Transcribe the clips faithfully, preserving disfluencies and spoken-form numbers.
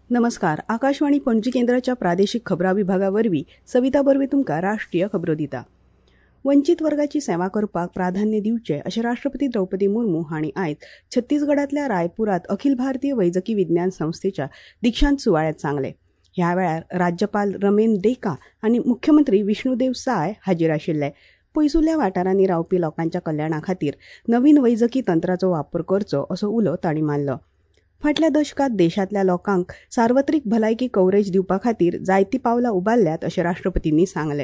नमस्कार, आकाशवाणी पणजी केंद्राच्या प्रादेशीक खबरां विभागा वरवीं सविता बर्वे तुमकां राष्ट्रीय खबरो दिता. वंचीत वर्गाची सेवा करपाक प्राधान्य दिवचें अशें राष्ट्रपती द्रौपदी मुर्मू हांणी आयज छत्तीसगडांतल्या रायपुरांत अखिल भारतीय वैजकी विज्ञान संस्थेच्या दिक्षांत सुवाळ्यांत सांगलें. ह्या वेळार राज्यपाल रमेन डेका आनी मुख्यमंत्री विष्णुदेव साय हाजीर आशिल्ले. पयसुल्ल्या वाठारांनी रावपी लोकांच्या कल्याणा खातीर नवीन वैजकी तंत्राचो वापर करचो असो उलो तांणी मारलो. फाटल्या दशकांत देशांतल्या लोकांक सार्वत्रिक भलायकी कव्हरेज दिवपा खातीर जायतीं पावलां उबारल्यात अशें राष्ट्रपतींनी सांगलें.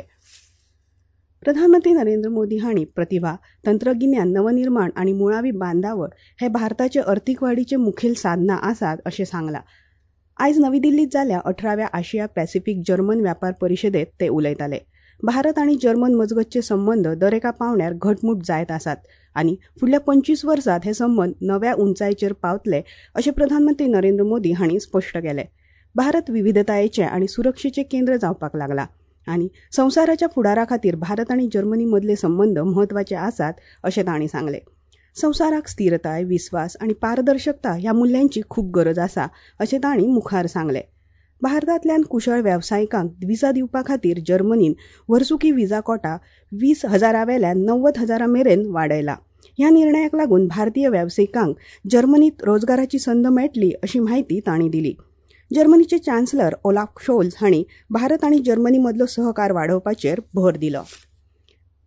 प्रधानमंत्री नरेंद्र मोदी हांणी प्रतिभा, तंत्रगिन्यान, नवनिर्माण आनी मुळावी बांदावळ हे भारताचे अर्थीक वाडीचे मुखेल साधनां आसात अशें सांगलां. आयज नवी दिल्लींत जाल्ल्या अठराव्या आशिया पॅसिफीक जर्मन व्यापार परिशदेंत ते उलयताले. भारत आनी जर्मन मजगतचे संबंद दरेका पांवड्यार घटमूट जायत आसात आनी फुडल्या पंचवीस वर्सांत हे संबंद नव्या उंचायेचेर पावतले अशें प्रधानमंत्री नरेंद्र मोदी हांणी स्पश्ट केलें. भारत विविधतायेचें आनी सुरक्षेचें केंद्र जावपाक लागला आनी संवसाराच्या फुडारा खातीर भारत आनी जर्मनी मदले संबंद म्हत्वाचे आसात अशें तांणी सांगलें. संवसाराक स्थिरताय, विस्वास आनी पारदर्शकता ह्या मुल्यांची खूब गरज आसा अशें तांणी मुखार सांगलें. भारतांतल्यान कुशळ वेवसायिकांक विजा दिवपा खातीर जर्मनीन वर्सुकी विजा कोटा वीस हजारा वेल्यान नव्वद हजारा मेरेन वाडयला. ह्या निर्णयाक लागून भारतीय वेवसायिकांक जर्मनीत रोजगाराची संद मेळटली अशी म्हायती तांणी दिली. जर्मनीचे चान्सलर ओलाफ शोल्झ हांणी भारत आनी जर्मनी मदलो सहकार वाडोवपाचेर भर दिलो.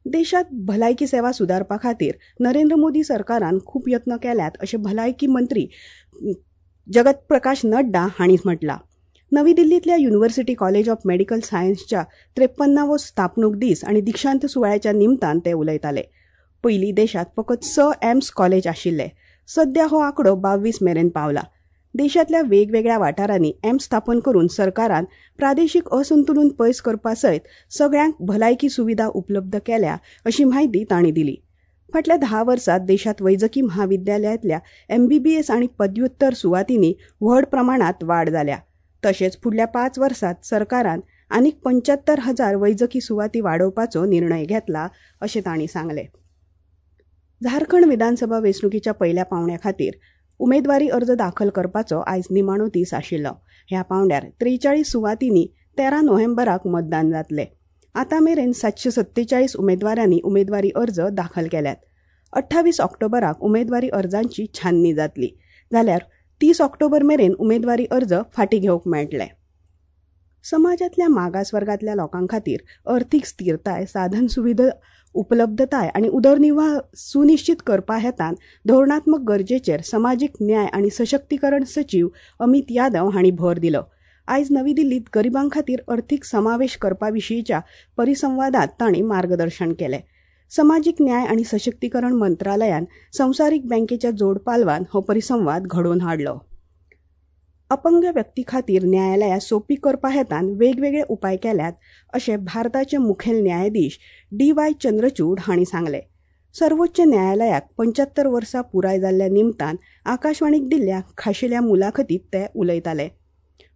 देशांत भलायकी सेवा सुदारपा खातीर नरेंद्र मोदी सरकारान खूब यत्न केल्यात अशें भलायकी मंत्री जगत प्रकाश नड्डा हांणी म्हटलां. नवी दिल्लींतल्या युनिव्हर्सिटी कॉलेज ऑफ मेडिकल सायन्सच्या त्रेपन्नावो स्थापणूक दीस आनी दिक्षांत सुवाळ्याच्या निमतान ते उलयताले. पयलीं देशांत फकत स एम्स कॉलेज आशिल्ले. सध्या हो आंकडो बावीस मेरेन पावला. देशांतल्या वेगवेगळ्या वाठारांनी एम्स स्थापन करून सरकारान प्रादेशीक असंतुलन पयस करपा सयत सगळ्यांक भलायकी सुविधा उपलब्ध केल्या अशी म्हायती तांणी दिली. फाटल्या धा वर्सांत देशांत वैजकी म्हाविद्यालयांतल्या एमबीबीएस आनी पदव्युत्तर सुवातींनी व्हड प्रमाणांत वाड जाल्या. तशेंच फुडल्या पांच वर्सांत सरकारान आनीक पंच्यात्तर हजार वैजकी सुवाती वाडोवपाचो निर्णय घेतला अशें तांणी सांगलें. झारखंड विधानसभा वेंचणुकेच्या पयल्या पांवड्या खातीर उमेदवारी अर्ज दाखल करपाचो आयज निमाणो दीस आशिल्लो. ह्या पांवड्यार त्रेचाळीस सुवातींनी तेरा नोव्हेंबराक मतदान जातलें. आतां मेरेन सातशे सत्तेचाळीस उमेदवारांनी उमेदवारी अर्ज दाखल केल्यात. अठ्ठावीस ऑक्टोबराक उमेदवारी अर्जांची छाननी जातली, जाल्यार तीस ऑक्टोबर मेरेन उमेदवारी अर्ज फाटीं घेवंक मेळटले. समाजांतल्या मागास वर्गांतल्या लोकां खातीर अर्थीक स्थिरताय, साधन सुविधा उपलब्धताय आनी उदरनिर्वाह सुनिश्चित करपा हेतान धोरणात्मक गरजेचेर समाजीक न्याय आनी सशक्तीकरण सचीव अमित यादव हांणी भर दिलो. आयज नवी दिल्लींत गरिबां खातीर अर्थीक समावेश करपा विशींच्या परिसंवादांत तांणी मार्गदर्शन केलें. समाजीक न्याय आनी सशक्तीकरण मंत्रालयान संवसारीक बँकेच्या जोडपालवान हो परिसंवाद घडोवन हाडलो. अपंग व्यक्ती खातीर न्यायालयां सोंपी करपा हेतान वेगवेगळे उपाय केल्यात अशें भारताचे मुखेल न्यायाधीश डी वाय चंद्रचूड हांणी सांगलें. सर्वोच्च न्यायालयाक पंच्यात्तर वर्सां पुराय जाल्ल्या निमतान आकाशवाणीक दिल्ल्या खाशेल्या मुलाखतींत ते उलयताले.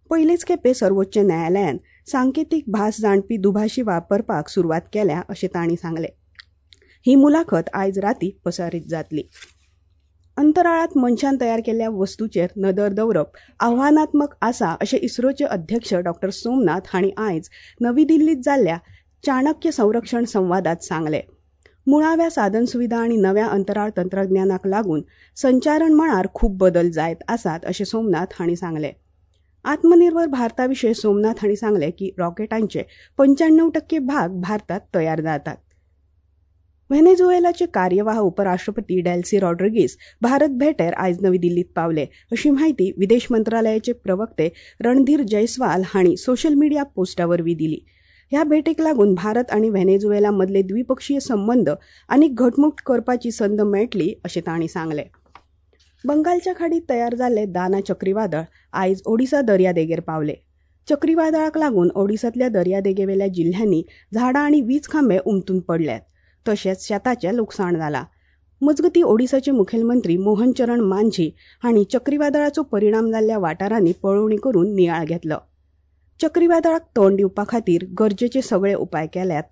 पयलेच खेपे सर्वोच्च न्यायालयान सांकेतीक भास जाणपी दुभाशी वापरपाक सुरवात केल्या अशें तांणी सांगलें. ही मुलाखत आयज राती प्रसारीत जातली. अंतराळांत मनशान तयार केल्ल्या वस्तूचेर नदर दवरप आव्हानात्मक आसा अशें इस्रोचे अध्यक्ष डॉ सोमनाथ हांणी आयज नवी दिल्लींत जाल्ल्या चाणक्य संरक्षण संवादांत सांगलें. मुळाव्या साधनसुविधा आनी नव्या अंतराळ तंत्रज्ञानाक लागून संचारण मळार खूब बदल जायत आसात अशें सोमनाथ हांणी सांगलें. आत्मनिर्भर भारता विशीं सोमनाथ हांणी सांगलें की रॉकेटांचे पंच्याण्णव टक्के भाग भारतांत तयार जातात. व्हेनेझुएलाचे कार्यवाह उपराष्ट्रपती डेल्सी रॉड्रिगीस भारत भेटेर आयज नवी दिल्लीत पावले अशी म्हायती विदेश मंत्रालयाचे प्रवक्ते रणधीर जयस्वाल हांणी सोशल मिडिया पोस्टा वरवीं दिली. ह्या भेटेक लागून भारत आनी व्हेनेझुएला मदले द्विपक्षीय संबंद आनीक घटमूट करपाची संद मेळटली अशें तांणी सांगलें. बंगालच्या खाडीत तयार जाल्ले दाना चक्रीवादळ आयज ओडिसा दर्यादेगेर पावले. चक्रीवादळाक लागून ओडिसांतल्या दर्यादेगेवेल्या जिल्ह्यांनी झाडां आनी वीज खांबे उमतून पडल्यात. तशेंच शेताचें लुकसाण जालां. मजगतीं ओडिसाचे मुखेलमंत्री मोहन चरण मांझी हांणी चक्रीवादळाचो परिणाम जाल्ल्या वाठारांनी पळोवणी करून नियाळ घेतलो. चक्रीवादळाक तोंड दिवपा खातीर गरजेचे सगळे उपाय केल्यात.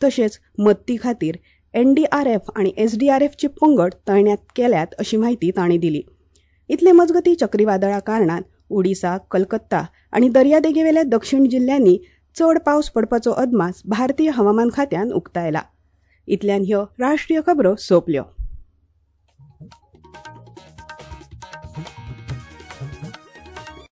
तशेंच मदती खातीर एनडीआरएफ आनी एसडीआरएफचे पंगड तैनात केल्यात अशी म्हायती तांणी दिली. इतले मजगतीं चक्रीवादळा कारणान ओडिसा, कलकत्ता आनी दर्यादेगेवेल्या दक्षिण जिल्ल्यांनी चड पावस पडपाचो अदमास भारतीय हवामान खात्यान उक्तायला. इतल्यान ह्यो राष्ट्रीय खबरो सोंपल्यो.